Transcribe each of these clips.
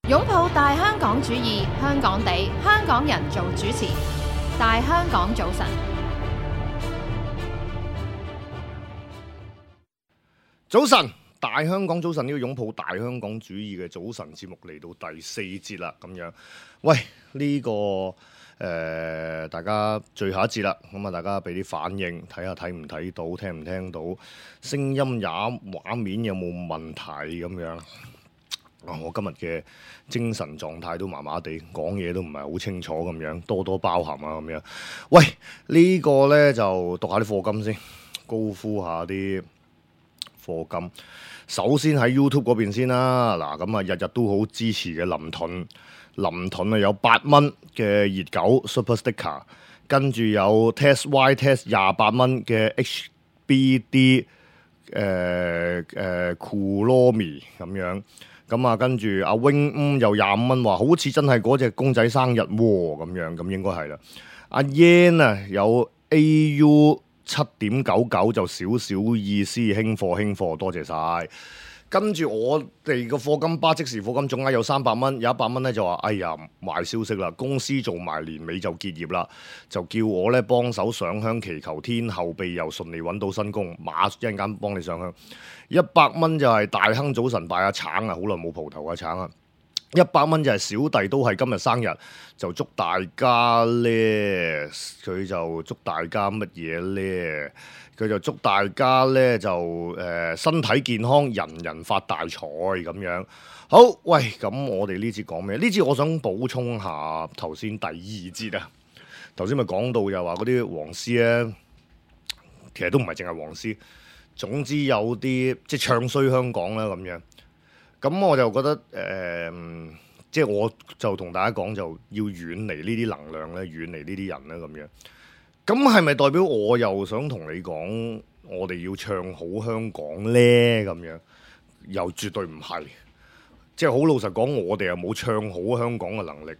擁抱大香港主義，香港地，香港人做主持。大香港早晨，早晨，大香港早晨，呢個擁抱大香港主義嘅早晨節目嚟到第4節啦，咁樣。喂，呢個大家最後一節啦，咁啊，大家俾啲反應，睇下睇唔睇到，聽唔聽到，聲音也畫面有冇問題咁樣。我今日嘅精神狀態都麻麻地，講嘢都唔係好清楚咁樣，多多包涵啊咁樣。喂，呢個呢就讀下啲課金先，高呼下啲課金。首先喺 YouTube 嗰邊先啦，嗱咁啊日日都好支持嘅林盾啊有8蚊嘅熱狗 Super Sticker， 跟住有 Test Y Test 28蚊嘅 HBD Kuromi 咁樣。咁啊，跟住阿 Wing 又25蚊，話好似真係嗰隻公仔生日喎，咁樣，咁應該係啦。阿 Yan 啊有 AU 7.99就少少意思，輕貨，多謝晒。跟住我哋個課金巴即時課金總額有300蚊，有100蚊咧就話：哎呀，壞消息啦，公司做埋年尾就結業啦，就叫我咧幫手上香祈求天後庇佑順利揾到新工，馬一陣間幫你上香。100蚊就係大亨早晨拜阿橙啊，好耐冇蒲頭啊橙啊。100蚊就係小弟都係今日生日，就祝大家咧，佢就祝大家乜嘢咧？佢就祝大家咧就身體健康，人人發大財咁樣。好，喂，咁我哋呢節講咩？呢節我想補充下頭先第2節啊。頭先咪講到又話嗰啲黃絲咧，其實都唔係淨係黃絲，總之有啲即係唱衰香港啦咁樣。咁我就覺得即係我就同大家講，就要遠離呢啲能量咧，遠離呢啲人咧咁樣。咁係咪代表我又想同你講，我哋要唱好香港呢？咁樣又絕對唔係，即係好老實講，我哋又冇唱好香港嘅能力。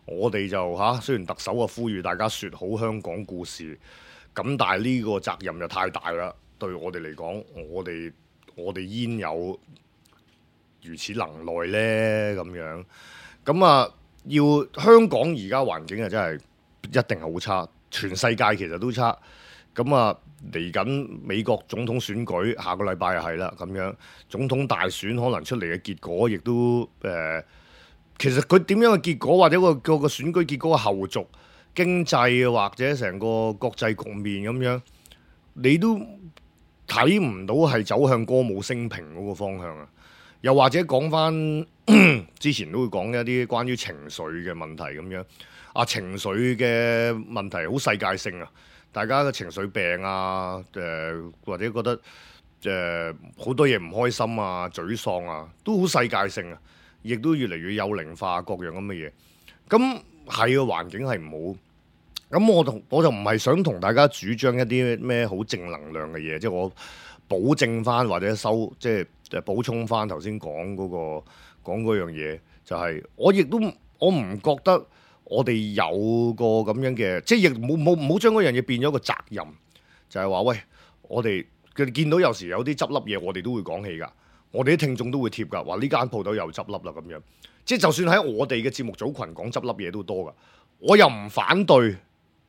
我哋就雖然特首啊呼籲大家説好香港故事，咁但係呢個責任就太大啦。對我哋嚟講，我哋焉有如此能耐呢？咁樣咁啊，要香港而家環境啊，真係一定係好差。全世界其實都差，咁啊嚟緊美國總統選舉，下個禮拜又係啦，咁樣總統大選可能出嚟嘅結果，亦都其實佢點樣嘅結果，或者個選舉結果嘅後續、經濟或者成個國際局面咁樣，你都睇唔到係走向歌舞升平嗰個方向啊！又或者講翻之前都會講一啲關於情緒嘅問題咁樣。情緒嘅問題好世界性啊！大家嘅情緒病啊，或者覺得好多嘢唔開心啊、沮喪啊，都好世界性啊，亦都越嚟越幼齡化各樣咁嘅嘢。咁係個環境係唔好。咁我就唔係想同大家主張一啲咩好正能量嘅嘢，即係我保證翻或者即係補充翻頭先講嗰樣嘢，就係我唔覺得。我哋有個咁樣嘅，即係亦冇將嗰樣嘢變咗個責任，就係話喂，我哋佢見到有時有啲執笠嘢，我哋都會講起㗎，我哋啲聽眾都會貼㗎，話呢間鋪頭又執笠啦咁樣。即係就算喺我哋嘅節目組群講執笠嘢都多㗎，我又唔反對，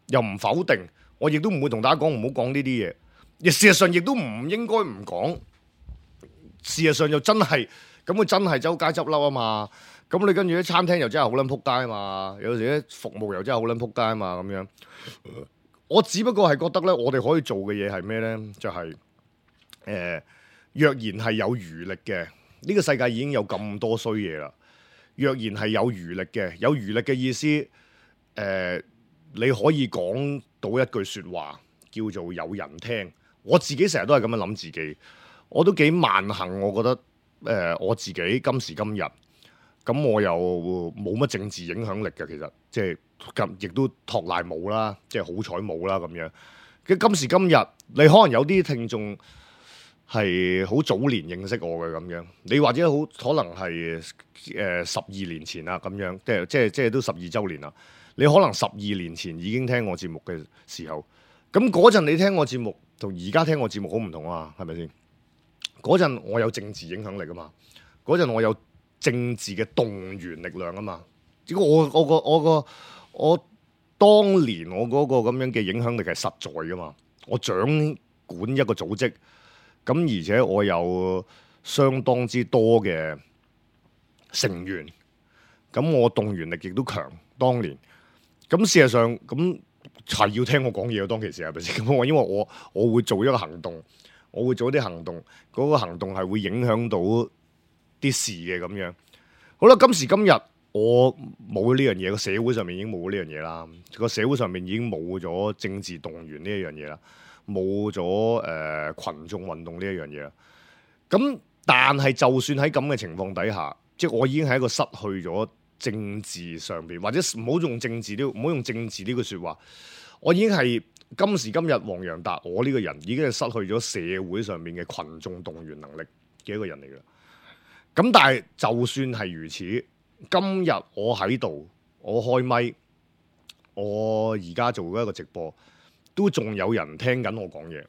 又唔否定，我亦都唔會同大家講唔好講呢啲嘢。亦事實上亦都唔應該唔講，事實上又真係咁，佢真係周街執笠啊嘛。咁你跟住啲餐廳又真係好撚撲街啊嘛，有時啲服務又真係好撚撲街啊嘛咁樣。我只不過係覺得咧，我哋可以做嘅嘢係咩咧？就係若然係有餘力嘅，呢個世界已經有咁多衰嘢啦。若然係有餘力嘅，有餘力嘅意思，你可以講到一句説話叫做有人聽。我自己成日都係咁樣諗自己，我都幾萬幸。我覺得我自己今時今日。咁我又冇乜政治影響力嘅，其實即係亦都托賴冇啦，即係好彩冇啦咁樣。今時今日，你可能有啲聽眾係好早年認識我嘅咁樣，你或者可能係12年前啦咁樣，即係都12週年啦。你可能12年前已經聽我節目嘅時候，咁嗰陣你聽我節目同而家聽我節目好唔同啊，係咪先？嗰陣我有政治影響力啊嘛，嗰陣我有政治嘅動員力量啊嘛。只不過我當年我嗰個咁樣嘅影響力係實在噶嘛。我掌管一個組織，咁而且我有相當之多嘅成員，咁我動員力亦都強。當年咁事實上咁係要聽我講嘢，當其時係咪先？咁因為我會做一個行動，我會做一啲行動，嗰個行動係會影響到啲事嘅咁樣。好啦，今時今日我冇呢樣嘢，個社會上面已經冇呢樣嘢啦。個社會上面已經冇咗政治動員呢一樣嘢啦，冇咗群眾運動呢一樣嘢啦。咁但係就算喺咁嘅情況底下，即係我已經係一個失去咗政治上邊，或者唔好用政治呢句說話，我已經係今時今日黃洋達，我呢個人已經係失去咗社會上面嘅群眾動員能力嘅一個人嚟㗎。咁但係就算係如此，今日我喺度，我開咪，我而家做一個直播，都仲有人聽緊我講嘢，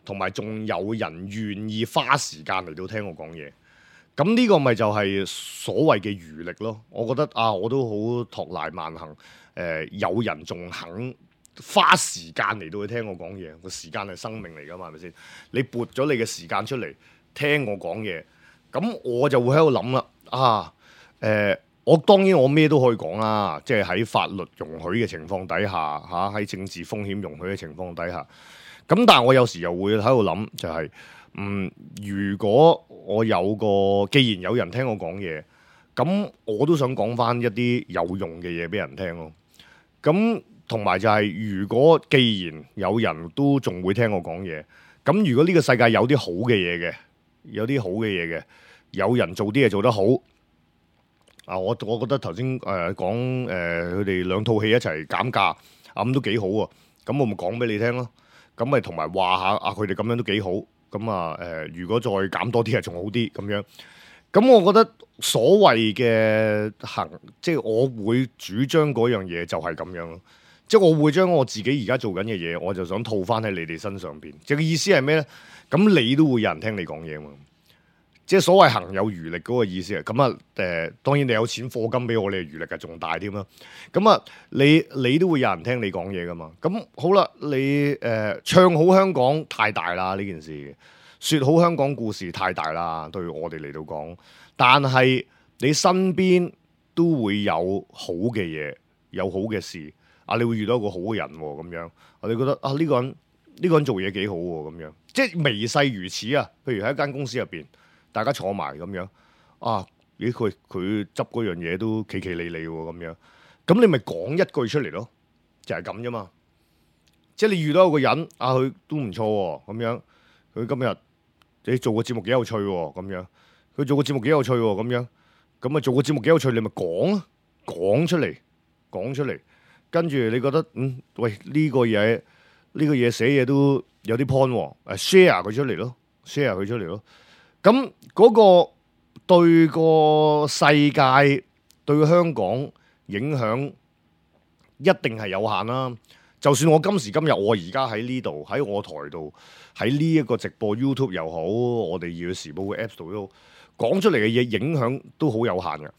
同埋仲有人願意花時間嚟到聽我講嘢。咁呢個咪就係所謂嘅餘力咯。我覺得啊，我都好托賴萬幸，有人仲肯花時間嚟到去聽我講嘢。個時間係生命嚟㗎嘛，係咪先？你撥咗你嘅時間出嚟聽我講嘢，咁我就會喺度諗啦。啊，我當然我咩都可以講啦，即係喺法律容許嘅情況底下，喺政治風險容許嘅情況底下。咁但係我有時又會喺度諗，就係如果我既然有人聽我講嘢，咁我都想講翻一啲有用嘅嘢俾人聽咯。咁同埋就係，如果既然有人都仲會聽我講嘢，咁如果呢個世界有啲好嘅嘢嘅，有人做啲嘢做得好，我覺得頭先講佢哋兩套戲一齊減價，咁都幾好喎。咁我咪講俾你聽咯。咁咪同埋話下佢哋咁樣都幾好。咁如果再減多啲係仲好啲咁樣。咁我覺得所謂嘅即係我會主張嗰樣嘢就係咁樣咯。即係我會將我自己而家做緊嘅嘢，我就想套翻喺你哋身上邊。即係意思係咩咧？咁你都會有人聽你講嘢嘛？即係所謂行有餘力嗰個意思啊。咁當然你有錢課金俾我，你嘅餘力係仲大添啦。咁你都會有人聽你講嘢噶嘛？咁好啦，你唱好香港太大啦呢件事，說好香港故事太大啦，對我哋嚟到講。但係你身邊都會有好嘅嘢，有好嘅事啊，你會遇到一個好嘅人咁樣，我哋覺得呢個人做嘢幾好喎咁樣，即係微細如此啊。譬如喺一間公司入邊，大家坐埋咁樣咦佢執嗰樣嘢都企企理理喎咁樣，咁你咪講一句出嚟咯，就係咁啫嘛。即係你遇到一個人佢都唔錯喎咁樣，佢今日你做個節目幾有趣喎咁樣，佢做個節目幾有趣喎咁樣，咁啊做個節目幾有趣，你咪講出嚟，跟住你覺得喂呢個嘢寫嘢都有啲 point 喎，share 佢出嚟咯，咁嗰個對個世界對香港影響一定係有限啦。就算我今時今日我而家喺呢度喺我台度喺呢一個直播 YouTube 又好，我哋要時報嘅 Apps 度都講出嚟嘅嘢影響都好有限嘅。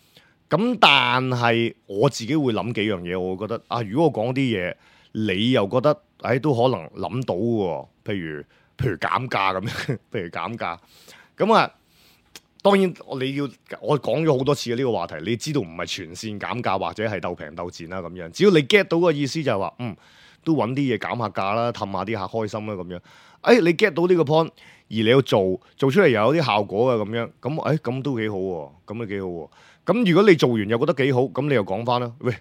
咁但係我自己會諗幾樣嘢，我會覺得如果我講啲嘢，你又覺得都可能諗到嘅，譬如減價咁樣，譬如減價咁當然我講咗好多次嘅呢個話題，你知道唔係全線減價或者係鬥平鬥賤啦咁樣，只要你 get 到個意思就係話都揾啲嘢減下價啦，氹下啲客開心啦咁樣。你 get 到呢個 point，而你要做出嚟又有啲效果嘅咁樣，咁都幾好喎，咁都幾好喎。咁如果你做完又覺得幾好，咁你又講翻啦。喂，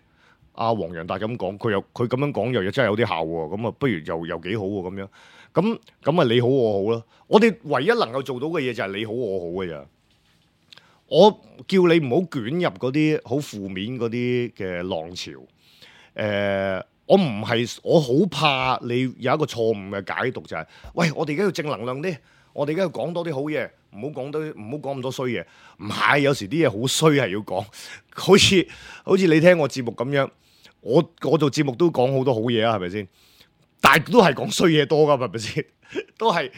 阿黃洋達咁講，佢咁樣講又真係有啲效喎，咁不如又幾好喎咁樣。咁你好我好啦。我哋唯一能夠做到嘅嘢就係你好我好嘅咋。我叫你唔好捲入嗰啲好負面嗰啲嘅浪潮。我好怕你有一個錯誤嘅解讀，就係喂，我哋而家要正能量啲，我哋而家要講多啲好嘢，唔好講咁多衰嘢。唔係，有時啲嘢好衰係要講，好似你聽我節目咁樣，我做節目都講好多好嘢啊，係咪先？但係都係講衰嘢多噶，係咪先？都係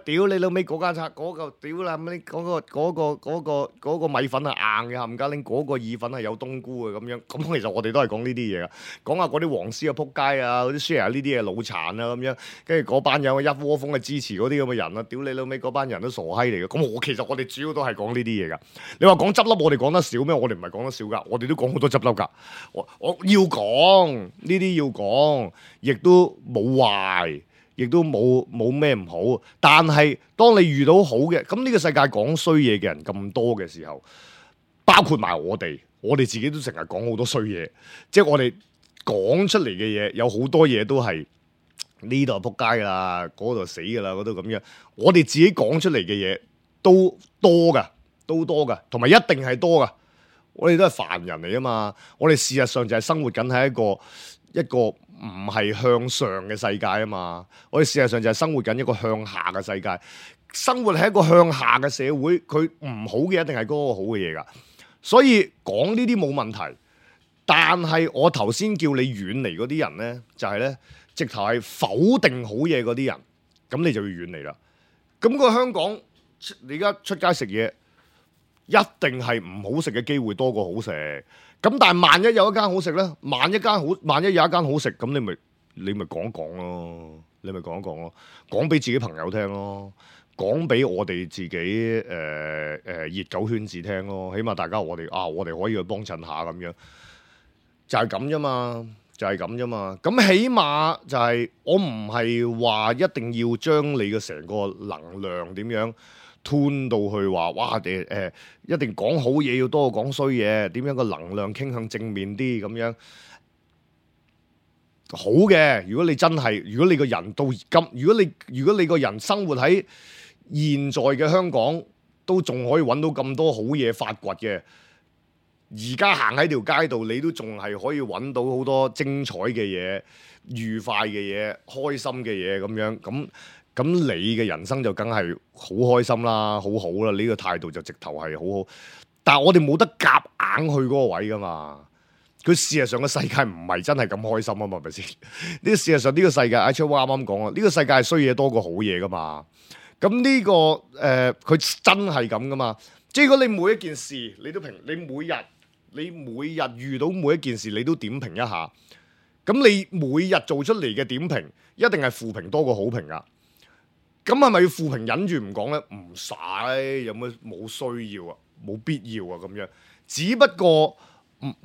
屌你老尾嗰間嗰個屌啦，嗰個米粉係硬嘅，冚家拎嗰個意粉係有冬菇嘅咁樣。咁其實我哋都係講呢啲嘢噶，講下嗰啲黃絲啊、撲街啊、嗰啲 share 呢啲嘢腦殘啊咁樣。跟住嗰班友一窩蜂嘅支持嗰啲咁嘅人啊，屌你老尾嗰班人都傻閪嚟嘅。咁其實我哋主要都係講呢啲嘢噶。你話講執笠，我哋講得少咩？我哋唔係講得少噶，我哋都講好多執笠噶。我要講呢啲要講，亦都冇壞。亦都冇咩唔好，但係當你遇到好嘅，咁呢個世界講衰嘢嘅人咁多嘅時候，包括埋我哋自己都成日講好多衰嘢，即係我哋講出嚟嘅嘢有好多嘢都係呢度撲街㗎啦，嗰度死㗎啦，嗰度咁樣，我哋自己講出嚟嘅嘢都多㗎，同埋一定係多㗎，我哋都係凡人嚟啊嘛，我哋事實上就係生活緊喺一個唔係向上嘅世界啊嘛，我哋事實上就係生活緊一個向下嘅世界，生活喺一個向下嘅社會，佢唔好嘅一定係嗰個好嘅嘢㗎，所以講呢啲冇問題，但係我頭先叫你遠離嗰啲人咧，就係咧直頭係否定好嘢嗰啲人，咁你就要遠離啦。咁個香港你而家出街食嘢，一定係唔好食嘅機會多過好食。咁但係萬一有一間好食咧，萬一有一間好食，咁你咪講講咯，講俾自己朋友聽咯，講俾我哋自己熱狗圈子聽咯，起碼大家我哋可以去幫襯下咁樣，就係咁啫嘛。咁起碼就係我唔係話一定要將你嘅成個能量點樣吞到去話哇一定講好嘢要多過講衰嘢，點樣個能量傾向正面啲咁樣好嘅。如果你個人到今，如果你個人生活喺現在嘅香港，都仲可以揾到咁多好嘢發掘嘅，而家行喺條街度，你都仲係可以揾到好多精彩嘅嘢、愉快嘅嘢、開心嘅嘢咁樣咁你嘅人生就梗係好開心啦，好好啦，呢個態度就直頭係好好。但係我哋冇得夾硬去嗰個位噶嘛。佢事實上個世界唔係真係咁開心啊嘛，係咪先？呢個事實上呢個世界，阿 Chief 啱啱講啊，呢個世界係衰嘢多過好嘢噶嘛。咁呢個佢真係咁噶嘛。即係如果你每一件事你都評，你每日遇到每一件事你都點評一下，咁你每日做出嚟嘅點評一定係負評多過好評噶。咁係咪要負評忍住唔講咧？唔使，有乜冇需要啊？冇必要啊咁樣。只不過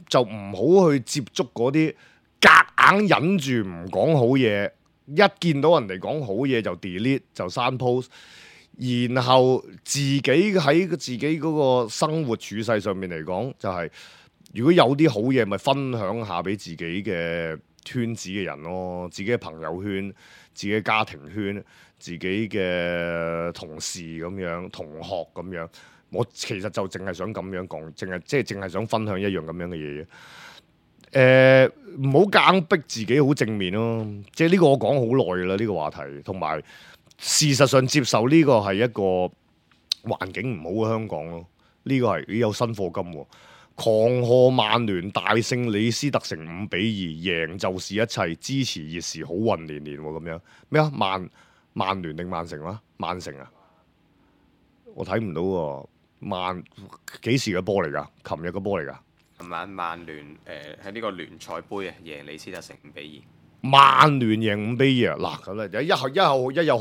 就唔好去接觸嗰啲夾硬忍住唔講好嘢，一見到人哋講好嘢就 delete 就刪 post，然後自己喺自己嗰個生活處世上面嚟講，就係如果有啲好嘢，咪分享下俾自己嘅圈子嘅人咯，自己嘅朋友圈、自己嘅家庭圈、自己嘅同事咁樣、同學咁樣。我其實就淨係想咁樣講，淨係想分享一樣咁樣嘅嘢。唔好夾硬逼自己好正面咯。即係呢個我講好耐㗎啦，呢個話題。同埋事實上接受呢個係一個環境唔好嘅香港咯。呢個係有新課金喎。狂賀曼聯大勝李斯特城5-2，贏就是一切，支持熱刺好運連連喎咁樣。咩啊？曼聯定曼城啊？曼城啊？我睇唔到喎。幾時嘅波嚟㗎？琴日嘅波嚟㗎？琴晚曼聯喺呢個聯賽杯啊，贏李斯特城5-2。曼聯贏5-2啊！嗱咁咧，一有好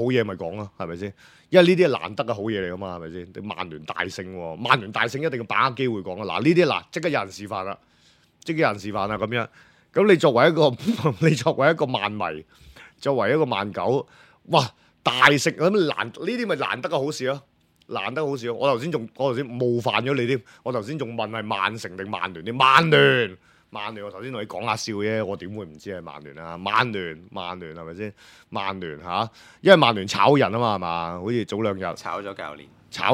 嘢咪講咯，係咪先？因為呢啲係難得嘅好嘢嚟㗎嘛，係咪先？你曼聯大勝喎，曼聯大勝一定要把握機會講啊！嗱呢啲即刻有人示範啦，咁樣。咁你作為一個曼迷，作為一個曼狗，哇大勝咁呢啲咪難得嘅好事咯。難得好少，我頭先冒犯咗你添。我頭先仲問係曼城定曼聯添，曼聯。我頭先同你講下笑啫，我點會唔知係曼聯啊？曼聯係咪先？曼聯嚇，因為曼聯炒人啊嘛，係嘛？好似早兩日炒咗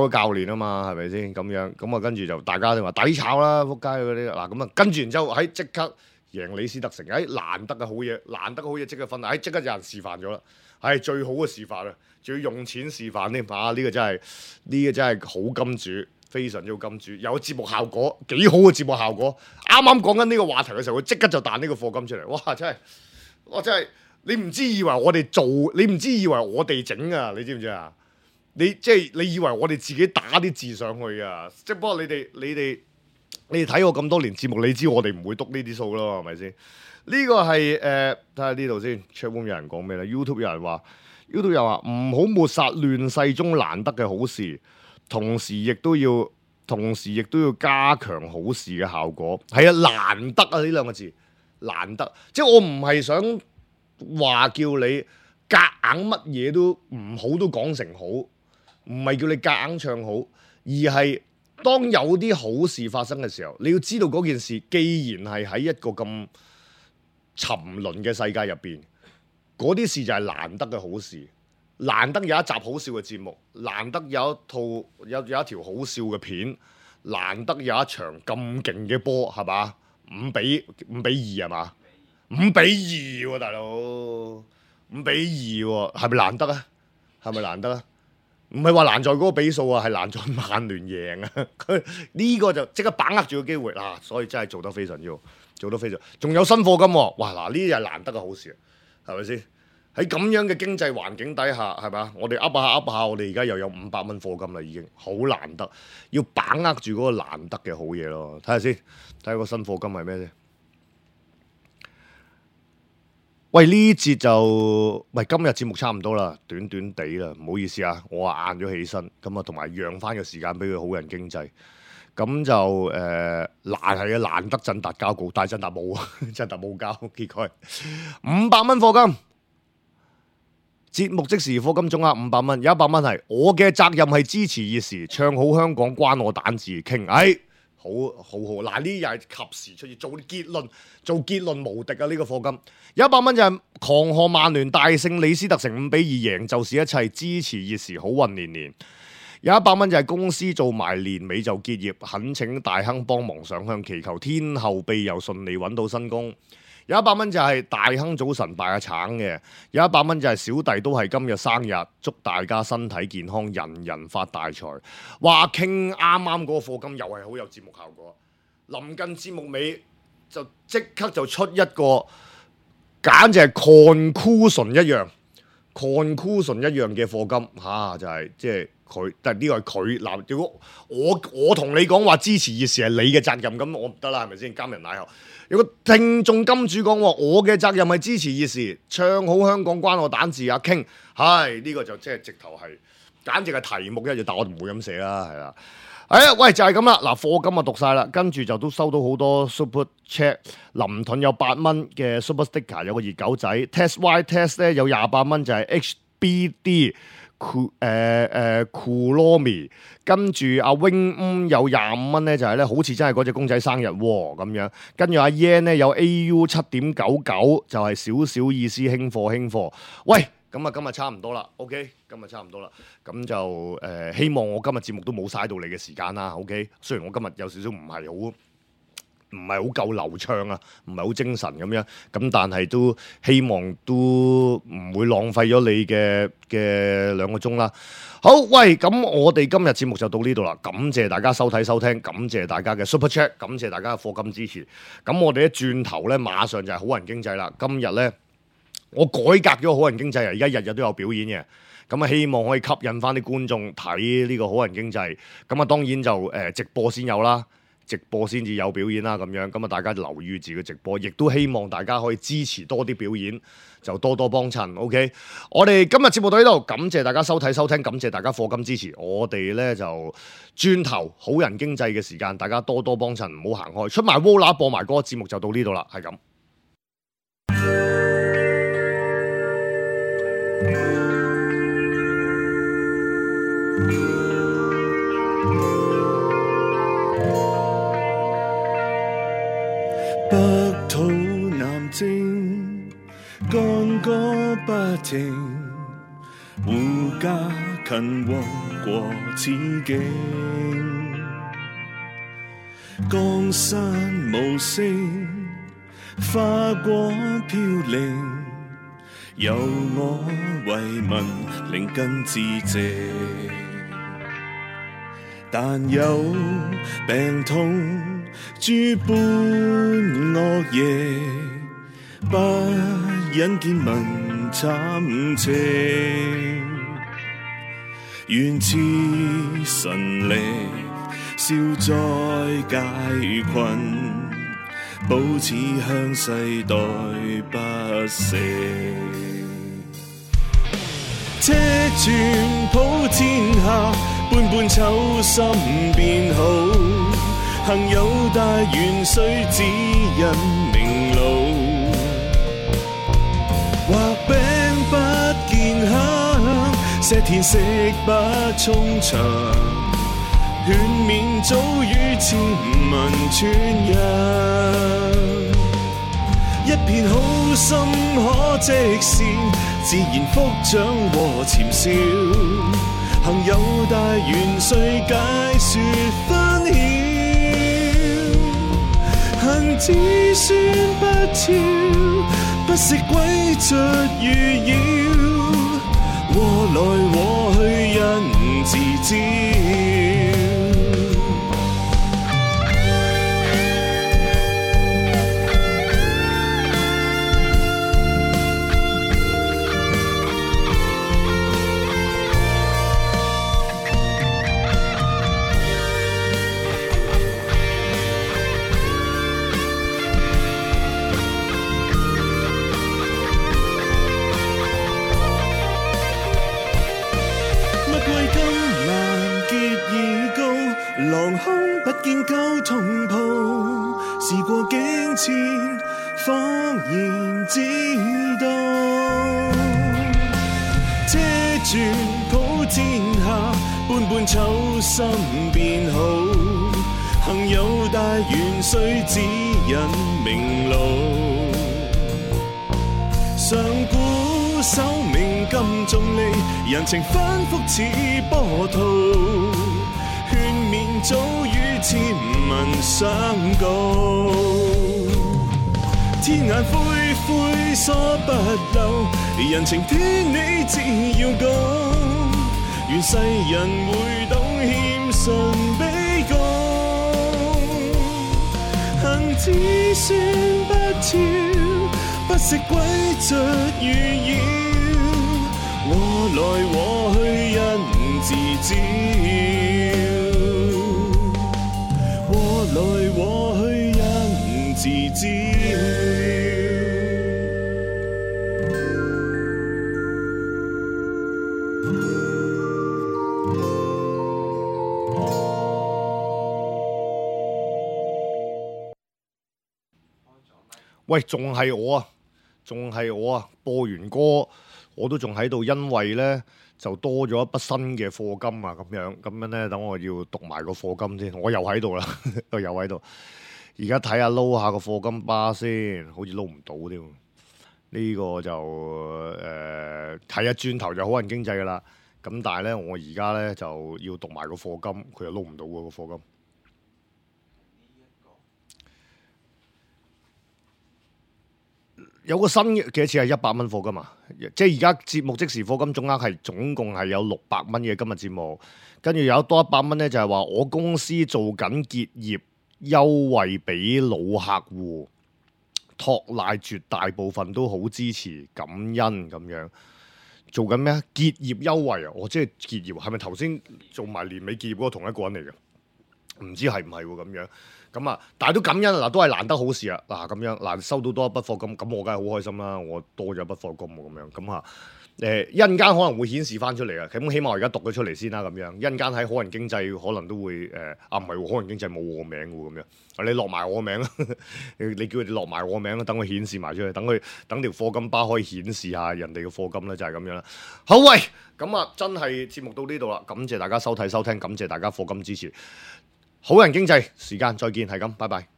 教練啊嘛，係咪先？咁樣咁啊，跟住就大家都話抵炒啦，仆街嗰啲嗱咁啊，跟住然之後喺即刻贏李斯特城，難得嘅好嘢即刻分，即刻有人示範咗啦，係最好嘅示範啦！仲要用錢示範添，呢個真係好金主，非常之好金主，有節目效果，幾好嘅節目效果。啱啱講緊呢個話題嘅時候，佢即刻就彈呢個課金出嚟，哇！真係你唔知以為我哋做，你唔知以為我哋整啊，你知唔知啊？你以為我哋自己打啲字上去啊？即係不過你哋睇我咁多年節目，你知我哋唔會篤呢啲數咯，係咪先？呢個係睇下呢度先 ，Chatroom 有人講咩咧 ？YouTube 有人話 ，YouTube 又話唔好抹殺亂世中難得嘅好事，同時亦都要加強好事嘅效果。係啊，難得啊呢兩個字，難得。即係我唔係想話叫你夾硬乜嘢都唔好都講成好，唔係叫你夾硬唱好，而係當有啲好事發生嘅時候，你要知道嗰件事既然係喺一個咁沉淪嘅世界入邊，嗰啲事就係難得嘅好事，難得有一集好笑嘅節目，難得有一條好笑嘅片，難得有一場咁勁嘅波，係嘛？5-2係嘛？5-2喎，大佬5-2喎，係咪難得啊？係咪難得啊？唔係話難在嗰個比數啊，係難在曼聯贏啊！佢呢個就即刻把握住個機會啦，所以真係做得非常之好，做得非常。仲有新課金喎，哇！嗱，呢啲係難得嘅好事，係咪先？喺咁樣嘅經濟環境底下，係咪？我哋噏下，我哋而家又有500蚊課金啦，已經好難得，要把握住嗰個難得嘅好嘢咯。睇下先，睇下個新課金係咩先？喂，呢節就今日節目差唔多啦，短短地啦，唔好意思啊，我晏咗起身，咁啊同埋讓翻個時間俾佢好人經濟，咁就難得振達交稿，但係振達冇啊，振達冇交，結果500蚊課金，節目即時課金總額500蚊，有100蚊係我嘅責任係支持熱時，唱好香港關我蛋字傾，好，嗱呢又係及時出現做結論無敵啊！呢個課金有100蚊就係狂賀曼聯大勝李斯特城5-2贏就是一切，支持熱時好運連連。有100蚊就係公司做埋年尾就結業，懇請大亨幫忙上香，祈求天后庇佑順利揾到新工。有100蚊就係大亨早晨拜下橙嘅，有100蚊就係小弟都係今日生日，祝大家身體健康，人人發大財。話傾啱啱嗰個課金又係好有節目效果，臨近節目尾就即刻就出一個簡直係 conclusion 一樣嘅課金就係即係佢，但係呢個係佢嗱。如果我同你講話支持熱時係你嘅責任，咁我唔得啦，係咪先？監人奶後有個聽眾金主講話，我嘅責任係支持熱時，唱好香港關我蛋字啊傾，呢個就即係直頭係簡直係題目一樣，但我唔會咁寫啦，係啦。喂，就係咁啦。嗱，課金啊讀晒啦，跟住就都收到好多 super chat。林盾有8蚊嘅 super sticker， 有個熱狗仔 test y test 咧有28蚊，就係 HBD Kulomi。跟住阿 Wing 有25蚊咧，就係咧好似真係嗰隻公仔生日喎咁樣。跟住阿 Yan 咧有 AU 7.99，就係少少意思，輕貨。喂！咁啊，今日差唔多啦 ，OK， 今日差唔多啦，咁就希望我今日節目都冇嘥到你嘅時間啦 ，OK。雖然我今日有少少唔係好夠流暢啊，唔係好精神咁樣，咁但係都希望都唔會浪費咗你嘅2個鐘啦。好，喂，咁我哋今日節目就到呢度啦，感謝大家收睇收聽，感謝大家嘅 Super Chat， 感謝大家嘅課金支持。咁我哋一轉頭咧，馬上就係好人經濟啦，今日咧。我改革咗好人經濟啊！而家日日都有表演嘅，咁啊希望可以吸引翻啲觀眾睇呢個好人經濟。咁啊當然就直播先有啦，直播先至有表演啦咁樣。咁啊大家留意住個直播，亦都希望大家可以支持多啲表演，就多多幫襯。OK， 我哋今日節目到呢度，感謝大家收睇收聽，感謝大家課金支持。我哋咧就轉頭好人經濟嘅時間，大家多多幫襯，唔好行開。出埋 Vola 播埋嗰個節目就到呢度啦，係咁。北土南征，干戈不停，護家勤王國此境。江山無聲，花果飄零，由我為民靈根致謝。但有病痛諸般惡嘢，不引見民慘情，願賜神力消災解困，保持向世代不息。車轉普天下，般般秋心變好。行有大願須指引明路，畫餅不見香，石田食不充腸，勸勉早與千民傳揚。一片好心可積善，自然福長和潛笑。行有大願須解說分曉，行子孫不肖，不惜詭譎預擾，禍來禍去因自招。狼空不見舊同袍，事過境遷，方然知道。車轉普天下，般般秋心變好。行有大願須指引明路，上古守命金重利，人情反覆似波濤。勸勉早與千民相告，天眼灰灰疏不漏，人情天理只要高。願世人會懂謙遜卑躬，行子孫不肖，不惜詭譎預擾，禍來禍去因自招。來禍去因自招。喂，仲係我啊！播完歌我都仲喺度，因為呢就多咗一筆新嘅課金啊，咁樣呢，等我要讀埋個課金先。我又喺度啦，又喺度。而家睇下撈下個課金巴先，好似撈唔到添。呢個就睇下轉頭就好人經濟噶啦。咁但係呢，我而家呢就要讀埋個課金，佢又撈唔到喎個課金。有個新嘅幾多錢係100蚊課金啊！即係而家節目即時課金總額係總共係有600蚊嘅今日節目，跟住有多100蚊咧，就係話我公司做緊結業優惠俾老客戶，托賴絕大部分都好支持感恩咁樣。做緊咩啊？結業優惠啊！我即係結業，係咪頭先做埋年尾結業嗰個同一個人嚟嘅？唔知係唔係喎咁樣。咁啊，但係都感恩嗱，都係難得好事啊！嗱，咁樣嗱，收到多一筆課金，咁我梗係好開心啦！我多咗一筆課金喎，咁樣咁啊，一陣間可能會顯示翻出嚟啊！咁起碼我而家讀咗出嚟先啦，咁樣一陣間喺好人經濟可能都會唔係喎，好人經濟冇我名喎，咁樣你落埋我名啦，你叫佢哋落埋我名啦，等佢顯示埋出嚟，等條課金巴可以顯示下人哋嘅課金咧，就係咁樣啦。好喂，咁啊，真係節目到呢度啦，感謝大家收睇收聽，感謝大家課金支持。好人經濟時間再見，係咁，拜拜。